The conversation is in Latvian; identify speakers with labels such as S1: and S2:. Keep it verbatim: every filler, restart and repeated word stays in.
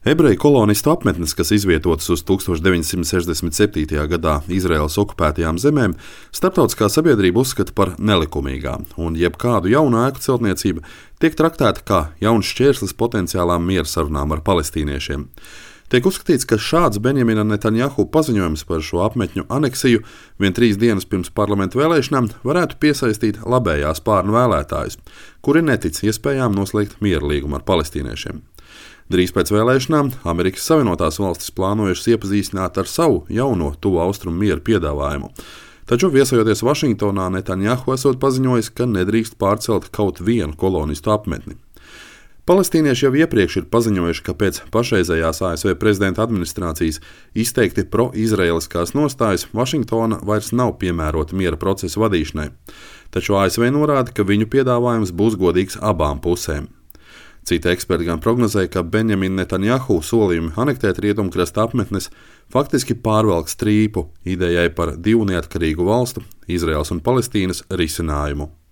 S1: Ebreju kolonistu apmetnes, kas izvietotas uz tūkstoš deviņsimt sešdesmit septītajā gadā Izraēlas okupētajām zemēm, starptautiskā sabiedrība uzskata par nelikumīgām, un jebkādu jaunu ēku celtniecība tiek traktēta kā jauns šķērslis potenciālām miera sarunām ar palestīniešiem. Tiek uzskatīts, ka šāds Benjamina Netanjahu paziņojums par šo apmetņu aneksiju vien trīs dienas pirms parlamenta vēlēšanām varētu piesaistīt labējā spārna vēlētājus, kuri netic iespējām noslēgt miera līgumu ar palestīniešiem. Drīz pēc vēlēšanām Amerikas Savienotās valstis plānojušas iepazīstināt ar savu jauno tuvu austrumu miera piedāvājumu. Taču viesojoties Vašingtonā, Netanjahu esot paziņojis, ka nedrīkst pārcelt kaut vienu kolonistu apmetni. Palestīnieši jau iepriekš ir paziņojuši, ka pēc pašreizējās A S V prezidenta administrācijas izteikti pro-izraeliskās nostājas Vašingtona vairs nav piemērota miera procesa vadīšanai. Taču A S V norāda, ka viņu piedāvājums būs godīgs abām pusēm. Citi eksperti gan prognozēja, ka Benjamina Netanjahu solījumi anektēt rietumkrasta apmetnes faktiski pārvelk strīpu idejai par divu neatkarīgu valstu, Izraēlas un Palestīnas risinājumu.